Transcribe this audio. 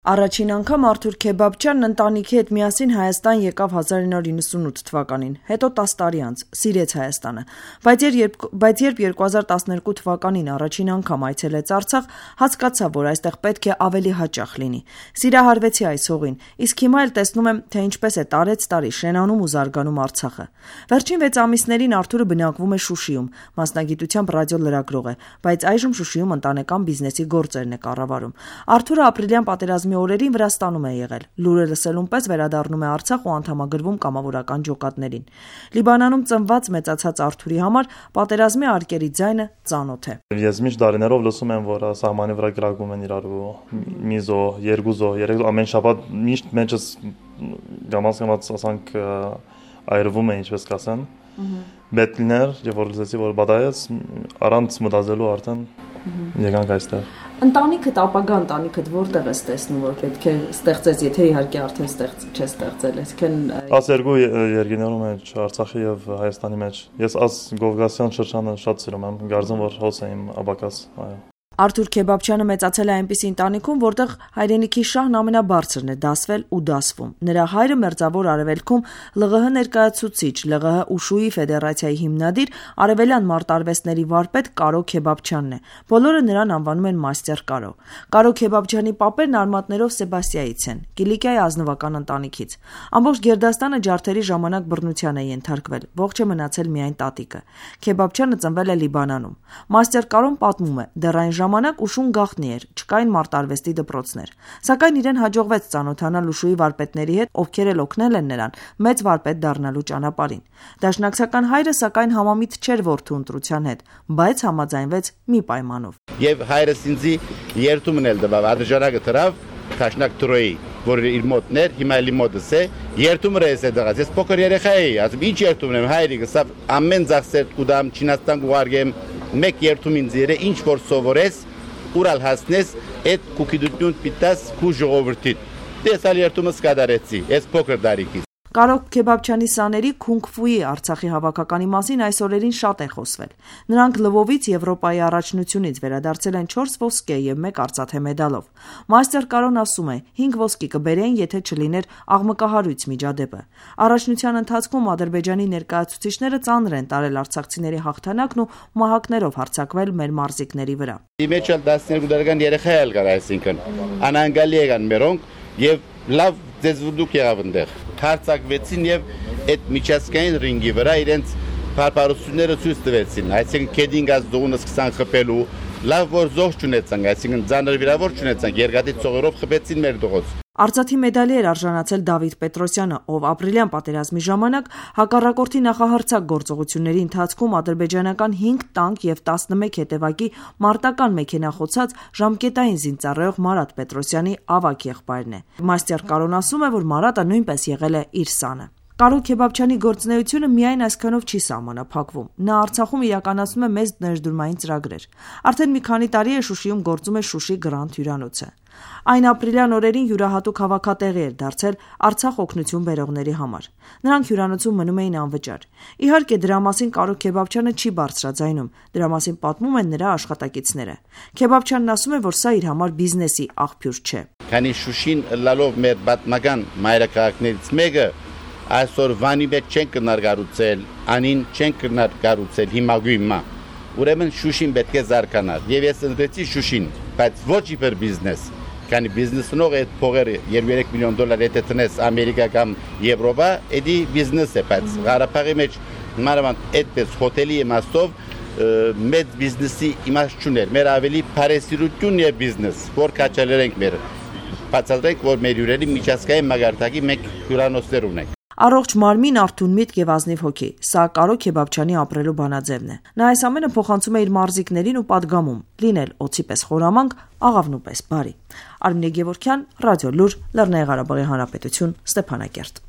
Առաջին անգամ Արթուր Քեբաբչյանն ընտանիքի հետ միասին Հայաստան եկավ 1998 թվականին, հետո 10 տարի անց, սիրեց Հայաստանը, բայց երբ 2012 թվականին առաջին անգամ այցելեց Արցախ, հասկացավ, որ այստեղ պետք է ավելի հաճախ լինի, սիրահարվեցի այս հողին, իսկ հիմա էլ տեսնում եմ, թե ինչպես է տարեց-տարի շենանում ու զարգանում Արցախը։ Վերջին 6 ամիսներին Արթուրը բնակվում է Շուշիում, մասնագիտությամբ ռադիոլրագրող է, բայց այժմ Շուշիում ընտանեկան բիզնեսի գործերն է կառավարում։ Արթուրը ապրիլյան պատերազմի օրերին Վրաստանում է եղել, լուրը լսելուն պես վերադառնում է Արցախ ու անդամագրվում կամավորական ջոկատներին։ Լիբանանում ծնված մեծացած Արթուրի համար պատերազմի արկերի ձայնը ծանոթ է։ Ես միշտ դարիներով լսում եմ, որ սահմանի վրա գրակում են իրար ու մի զո, երկու զո, երեք ամեն շաբաթ միշտ մեջս գամած ասանք այրվում է, ինչպես կասեն։ Բետլիներ, եւ որ լսեցի, որ բադայես առանց մտածելու արդեն եկանք այստեղ։ Ընտանիքդ, ապագա ընտանիքդ որտեղ ես տեսնում, որ պետք է ստեղծես, եթե իհարկե արդեն չես ստեղծել, այսինքն աս երկու երկիներում մեջ, Արցախի եւ Հայաստանի մեջ։ Ես աս Գովգասյան շրջանը շատ սիրում եմ, գարձեմ որ հոս եմ աբակաս, այո։ Արթուր Քեբաբչյանը մեծացել է այնպիսի ընտանիքում, որտեղ հայրենիքի շահն ամենաբարձրն է դասվել ու դասվում։ Նրա հայրը Մերձավոր Արևելքում ԼՂՀ ներկայացուցիչ, ԼՂՀ Ուշուի ֆեդերացիայի հիմնադիր, արևելյան մարտարվեստների վարպետ Կարո Քեբաբչյանն է։ Բոլորը նրան անվանում են մաստեր Կարո։ Կարո Քեբաբչյանի պապերն արմատներով Սեբաստիայից են, Կիլիկիայի ազնվական ընտանիքից։ Ամբողջ Գերդաստանը ջարդերի ժամանակ բռնության է ենթարկվել, ողջ է մնացել միայն տատիկը։ Քեբաբչյանը ծնվել է Լիբանանում։ Մաստեր Կարոն պատմում է, դեռ այն ժամանակ Ուշուն գաղտնի էր, չկային մարտարվեստի դպրոցներ։ Սակայն իրեն հաջողվեց ծանոթանալ Ուշուի վարպետների հետ, ովքեր էլ օգնել են նրան մեծ վարպետ դառնալու ճանապարհին։ Դաշնակցական հայրը սակայն համամիտ չէր որդու ընտրության հետ, բայց համաձայնվեց մի պայմանով։ Եվ հայրս ինձ երթումն էլ տվավ, ադժարակը դրավ Տաշնակ Տրոյի, որ իր մոտն էր, հիմա էլի մոտս է, երթումն էս է դղած։ Ես փոքր երեխա էի, ասում ինչ երթումն եմ, հայրիկս, ամեն ծախսեր կուդամ Չինաստան կուղարկեմ, մեկ երթում ինձ երե, ինչ որ սովորես, ուրալ հասնես, այդ կուկիդություն պիտաս քու ժողովրդիդ։ Դեսալ երթումս կատարեցի, ես փոքր դարիքից։ Կարո Քեբաբչյանի սաների Քունգ-ֆուի Արցախի հավաքականի մասին այս օրերին շատ է խոսվել։ Նրանք Լվովից Եվրոպայի առաջնությունից վերադարձել են 4 ոսկե եւ 1 արծաթե մեդալով։ Մաստեր Կարոն ասում է, 5 ոսկի կբերեն, եթե չլիներ աղմկահարույց միջադեպը։ Առաջնության ընթացքում Ադրբեջանի ներկայացուցիչները ծանր են տարել արցախցիների հաղթանակն ու մահակներով հարձակվել մեր մարզիկների վրա։ Իմեջալ 12 տարեկան երեխա էլ կար, այսինքն անանգալի եղան մերոնք եւ լավ ձեզվուդուկ եղավ այնտեղ։ Հարձակվեցին եւ այդ միջազգային ռինգի վրա իրենց բարբարությունները ցույց տվեցին, այսինքն քեդինգած դողունը սկսան խփելու, լավ որ զոհ չունեցան, այսինքն ծանր վիրավոր չունեցան, երկաթի ծողերով խփեցին մեր դողոց։ Արծաթի մեդալի էր արժանացել Դավիթ Պետրոսյանը, ով ապրիլյան պատերազմի ժամանակ հակառակորդի նախահարձակ գործողությունների ընթացքում ադրբեջանական 5 տանկ եւ 11 հետևակի մարտական մեքենա խոցած ժամկետային զինծառայող Մարատ Պետրոսյանի ավագ եղբայրն է։ Մաստեր Կարոն ասում է, որ Մարատը նույնպես եղել է իր սանը։ Կարո Քեբաբչյանի գործունեությունը միայն այսքանով չի սահմանափակվում։ Նա Արցախում իրականացնում է մեծ ներդրումային ծրագրեր։ Արդեն մի քանի տարի է Շուշիում գործում է Շուշի Գրանդ հյուրանոցը։ Այն ապրիլյան օրերին յուրահատուկ հավաքատեղի էր դարձել Արցախ օգնություն բերողների համար։ Նրանք հյուրանոցում մնում էին անվճար։ Իհարկե դրա մասին Կարո Քեբաբչյանը չի բարձրաձայնում, դրա մասին պատմում են նրա աշխատակիցները։ Քեբաբչյանն ասում է, որ սա իր համար բիզնեսի աղբյուր չէ։ Քանի Շուշին լալով մեր պատմական մայրաքաղաքներից մեկը այսօր վանի մեջ չեն կնարգարուցել, անին չեն կնարգարուցել հիմա։ Ուրեմն Շուշին պետք է զարգանալ։ Եվ ես ընտրեցի Շուշին, բայց ոչ իբր բիզնես։ Քանի բիզնեսնող այդ փողերը 2-3 միլիոն դոլար եթե տնես Ամերիկա կամ Եվրոպա, էդի բիզնես է, բայց Ղարաբաղի մեջ մանավանդ այդպես հոթելի իմաստով մեծ բիզնեսի իմաստ չուներ։ Մեր ավելի բարեսիրություն է բիզնես, որ կաչալերենք մեր։ Բացատրենք, որ մեր հյուրերի միջազգային մագարտակի մեկ հյուրանոցներ ունենք։ Առողջ մարմին, արթուն միտք եւ ազնիվ հոգի։ Սա Կարո Քեբաբչյանի ապրելու բանաձևն է։ Նա այս ամենը փոխանցում է իր մարզիկներին ու պատգամում՝ լինել օձի պես խորամանկ, աղավնու պես բարի։ Արմինե Գևորգյան, Ռադիոլուր, Լեռնային Ղարաբաղի Հանրապետություն, Ստեփանակերտ։